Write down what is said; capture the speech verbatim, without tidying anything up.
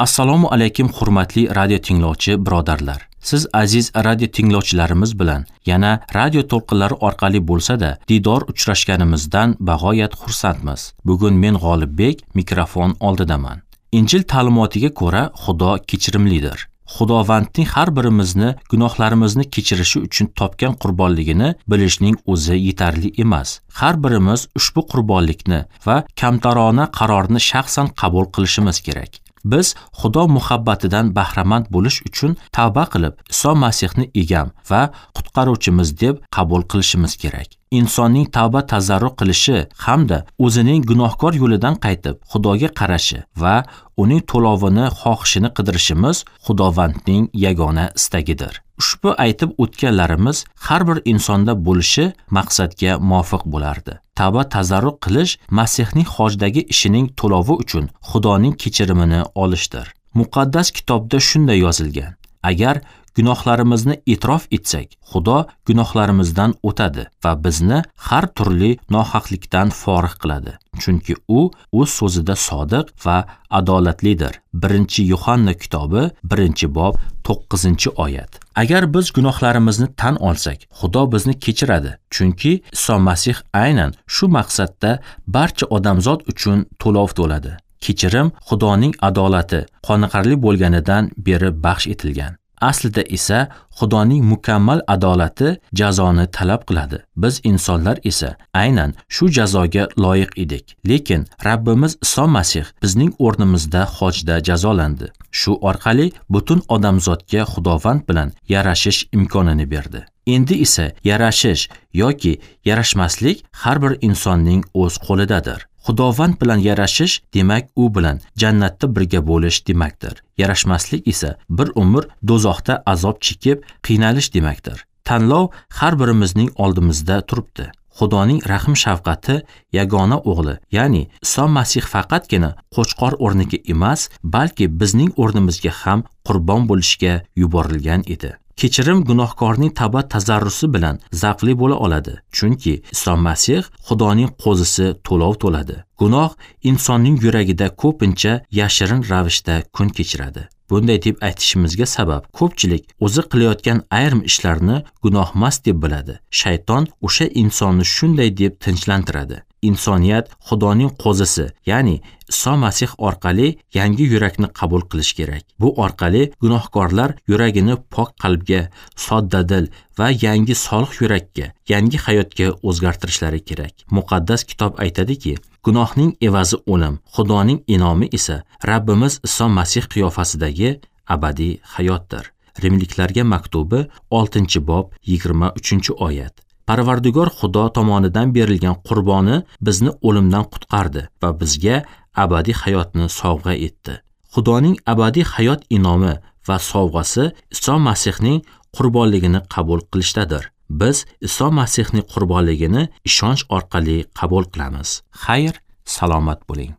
Assalomu alaykum hurmatli radio tinglovchi birodarlar. Siz aziz radio tinglovchilarimiz bilan yana radio to'lqinlari orqali bo'lsa-da diydor uchrashganimizdan bag'oyat xursandmiz. Bugun men G'olibbek mikrofon oldidaman. Injil ta'limotiga ko'ra Xudo kechirimlidir. Xudovandning har birimizni gunohlarimizni kechirishi uchun topgan qurbonligini bilishning o'zi yetarli emas. Har birimiz ushbu qurbonlikni va kamtarona qarorni shaxsan qabul qilishimiz kerak. Biz Xudo muhabbatidan bahramand bo'lish uchun tavba qilib, Iso Masihni egam va qutqaruvchimiz deb qabul qilishimiz kerak. Insonning tavba tazarru qilishi hamda o'zining gunohkor yo'lidan qaytib, Xudoga qarashi va uning to'lovini xohishini qidirishimiz Xudovandning yagona istagidir. Ushbu aytib o'tganlarimiz har bir insonda bo'lishi maqsadga muvofiq bo'lardi. Tavba tazarru qilish Masihning hojdagi ishining to'lovi uchun Xudoning kechirimini olishdir. Muqaddas kitobda shunday yozilgan: agar gunohlarimizni e'tirof etsak, Xudo gunohlarimizdan o'tadi va bizni har turli nohaqlikdan forig' qiladi. Chunki u o'z so'zida sodiq va adolatlidir. Birinchi Yuhanna kitobi, birinchi bob, to'qqizinchi oyat. Agar biz gunohlarimizni tan olsak, Xudo bizni kechiradi. Chunki Iso Masih aynan shu maqsadda barcha odamzod uchun to'lov to'ladi. Kechirim Xudoning adolati qoniqarli bo'lganidan beri baxsh etilgan. Aslida esa Xudoning mukammal adolati jazoni talab qiladi. Biz insonlar esa aynan shu jazoga loyiq edik. Lekin Rabbimiz Iso Masih bizning o'rnimizda hojda jazolandi. Shu orqali butun odamzodga Xudovand bilan yarashish imkonini berdi. Endi esa yarashish yoki yarashmaslik har bir insonning o'z qo'lidadir. Xudovand bilan yarashish demak u bilan jannatda birga bo'lish demakdir. Yarashmaslik esa bir umr do'zaxda azob chekib qiynalish demakdir. Tanlov har birimizning oldimizda turibdi. Xudoning rahm shafqati yagona o'g'li, ya'ni Iso Masih faqatgina qo'chqor o'rniga emas, balki bizning o'rnimizga ham qurbon bo'lishga yuborilgan edi. Kechirim gunohkorning tavba tazarrusi bilan zavqli bo'la oladi, chunki Iso Masih Xudoning qo'zisi to'lov to'ladi. Gunoh insonning yuragida ko'pincha yashirin ravishda kun kechiradi. Bunday deb aytishimizga sabab ko'pchilik o'zi qilayotgan ayrim ishlarni gunohmas deb biladi. Shayton o'sha insonni shunday deb tinchlantiradi. Insoniyat Xudoning qo'zisi, ya'ni Iso Masih orqali yangi yurakni qabul qilish kerak. Bu orqali gunohkorlar yuragini pok qalbga, soddadil va yangi solih yurakka, yangi hayotga o'zgartirishlari kerak. Muqaddas kitob aytadiki, gunohning evazi o'lim, Xudoning inomi esa Rabbimiz Iso Masih qiyofasidagi abadiy hayotdir. Rimliklarga maktubi oltinchi bob yigirma uchinchi oyat. Parvardigor Xudo tomonidan berilgan qurboni bizni o'limdan qutqardi va bizga abadiy hayotni sovg'a etdi. Xudoning abadiy hayot inomi va sovg'asi Iso Masihning qurbonligini qabul qilishdadir. Biz Iso Masihning qurbonligini ishonch orqali qabul qilamiz. Xayr, salomat bo'ling.